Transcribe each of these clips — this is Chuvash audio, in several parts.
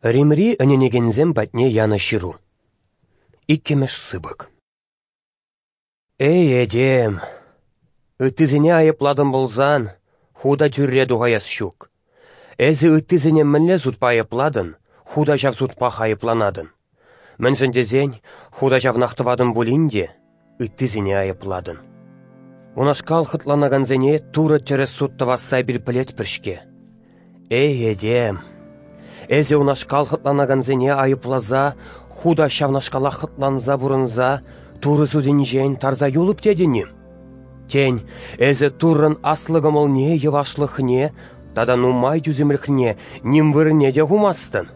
Римри ӗненекенсем патне янӑ ҫыру. Иккӗмӗш сыпӑк. Эй, этем! Ыттисене айӑплатӑн пулсан, ху та тӳрре тухаяс ҫук. Эсӗ ыттисене мӗнле судпа айӑплатӑн, ху та ҫав судпах айӑпланатӑн. Мӗншӗн тесен, ху та ҫавнах тӑватӑн пулин те, ыттисене айӑплатӑн. Унашкал хӑтланакансене Турӑ тӗрӗс суд тӑвасса эпир пӗлетпӗр-ҫке. Эй, этем! Эсӗ унашкал хӑтланакансене айӑпласа, ху та ҫавнашкалах хӑтланса пурӑнса Турӑ судӗнчен тарса юлӑп тетӗн-им? Тен, эсӗ Туррӑн аслӑ кӑмӑлне, йӑвашлӑхне тата нумай тӳсӗмлӗхне ним вырӑнне те хумастӑн?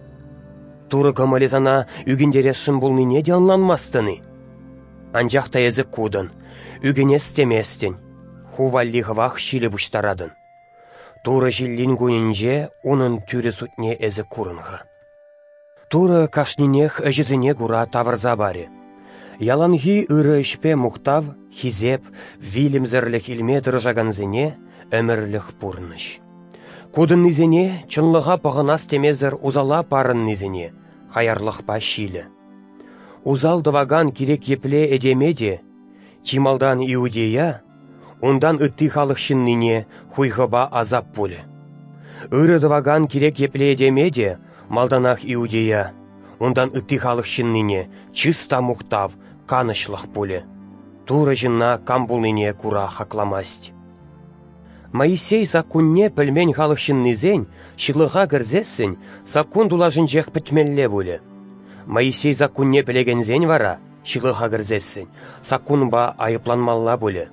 Турӑ кӑмӑлӗ сана ӳкӗнтересшӗн пулнине те ӑнланмастӑн-и? Анчах та эсӗ кутӑн, ӳкӗнес теместӗн, ху валли хӑвах ҫилӗ пуҫтаратӑн. Турӑ ҫиллин кунӗнче унӑн тӳрӗ судне эсӗ курӑн-ха. Турӑ кашнинех ӗҫӗсене кура тавӑрса парӗ. Яланхи ырӑ ӗҫпе мухтав, хисеп, вилӗмсӗрлӗх илме тӑрӑшакансене ӗмӗрлӗх пурнӑҫ. Кутӑннисене чӑнлӑха пӑхӑнас темесӗр усала парӑннисене хаярлӑхпа ҫилӗ. Усал тӑвакан кирек епле этеме те, чи малтан иудея, унтан ытти халӑх ҫыннине хуйхӑпа асап пулӗ. Ырӑ тӑвакан кирек епле этеме те малтанах иудея, унтан ытти халӑх ҫыннине чыс та мухтав, канӑҫлӑх пулӗ. Турӑ ҫынна кам пулнине кура хакламасть. Моисей саккунне пӗлмен халӑх ҫыннисен ҫылӑха кӗрсессӗн саккун тулашӗнчех пӗтмелле пулӗ. Моисей саккунне пӗлекенсен вара, ҫылӑха кӗрсессӗн, саккунпа айӑпланмалла пулӗ.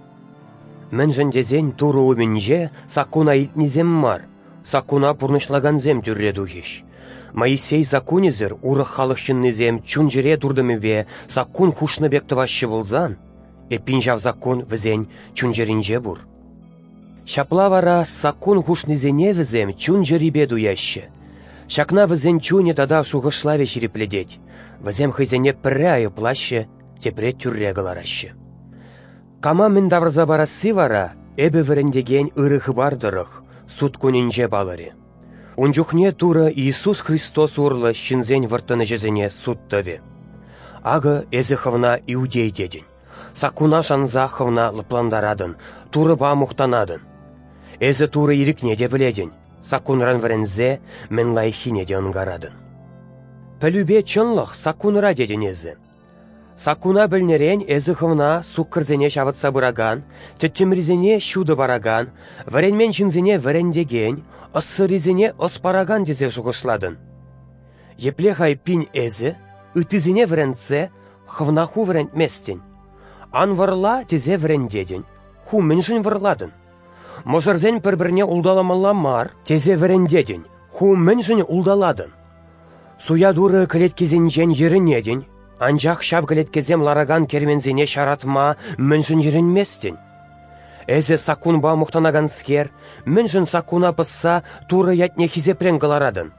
Мӗншӗн тесен Турӑ умӗнче саккуна илтнисем мар, саккуна пурнӑҫлакансем тӳрре тухӗҫ. Моисей саккунӗсӗр урӑх халӑх ҫыннисем чун-чӗре туртӑмӗпе саккун хушнӑ пек тӑваҫҫӗ пулсан, эппин ҫав саккун вӗсен чун-чӗринче пур. Ҫапла вара саккун хушнисене вӗсем чун-чӗрипе туяҫҫӗ. Ҫакна вӗсен чунӗ тата шухӑшлавӗ ҫирӗплетет. Вӗсем хӑйсене пӗрре айӑплаҫҫӗ, тепре тӳрре кӑлараҫҫӗ. Кама мӗн тавӑрса парасси вара эпӗ вӗрентекен ырӑ хыпар тӑрӑх суд кунӗнче палӑрӗ. Ун чухне Турӑ Иисус Христос урлӑ ҫынсен вӑрттӑн ӗҫӗсене суд тӑвӗ. Акӑ эсӗ хӑвна иудей тетӗн. Саккуна шанса хӑвна лӑплантаратӑн, Турӑпа мухтанатӑн. Эсӗ Турӑ ирӗкне те пӗлетӗн, саккунран вӗренсе мӗн лайӑххине те ӑнкаратӑн. Пӗлӳпе чӑнлӑх саккунра тетӗн эсӗ. Саккуна пӗлнӗрен эсӗ хӑвна суккӑрсене ҫавӑтса пыракан, тӗттӗмрисене ҫутӑ паракан, вӗренмен ҫынсене вӗрентекен, ӑссӑррисене ӑс паракан тесе шухӑшлатӑн. Епле-ха эппин эсӗ, ыттисене вӗрентсе, хӑвна ху вӗрентместӗн? Ан вӑрла тесе вӗрентетӗн, ху мӗншӗн вӑрлатӑн? Мӑшӑрсен пӗр-пӗрне улталамалла мар тесе вӗрентетӗн, ху мӗншӗн улталатӑн? Суя турӑ кӗлеткесенчен йӗрӗнетӗн, анчах ҫав кӗлеткесем ларакан керменсене ҫаратма мӗншӗн йӗрӗнместӗн? Эсӗ саккунпа мухтанаканскер, мӗншӗн саккуна пӑсса Турӑ ятне хисепрен кӑларатӑн?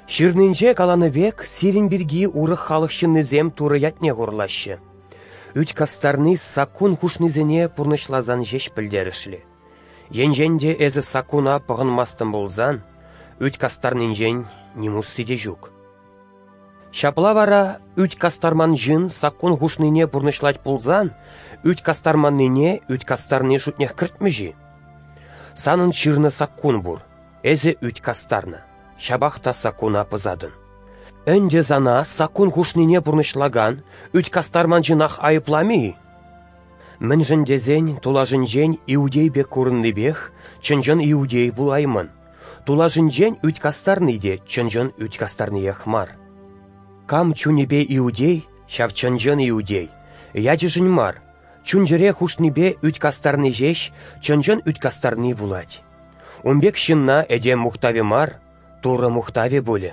Ҫырнинче каланӑ пек, сирӗн пирки урӑх халӑх ҫыннисем Турӑ ятне хурлаҫҫӗ. Ӳт кастарни саккун хушнисене пурнӑҫласан ҫеҫ пӗлтерӗшлӗ. Енчен те эсӗ саккуна пӑхӑнмастӑн пулсан, ӳт кастарнинчен ним усси те ҫук. Ҫапла вара ӳт кастарман ҫын саккун хушнине пурнӑҫлать пулсан, ӳт кастарманнине ӳт кастарни шутнех кӗртмӗҫ-и? Санӑн ҫырнӑ саккун пур, эсӗ ӳт кастарнӑ, ҫапах та саккуна пӑсатӑн. Ӗнтӗ сана саккун хушнине пурнӑҫлакан ӳт кастарман ҫынах айӑпламӗ-и? Мӗншӗн тесен тулашӗнчен иудей пек курӑннипех чӑн-чӑн иудей пулаймӑн. Тулашӗнчен ӳт кастарни те чӑн-чӑн ӳт кастарниех мар. Кам чунӗпе иудей, ҫав чӑн-чӑн иудей, ячӗшӗн мар, чун-чӗре хушнипе ӳт кастарни ҫеҫ чӑн-чӑн ӳт кастарни пулать. Ун пек ҫынна этем мухтавӗ мар, Турӑ мухтавӗ пулӗ.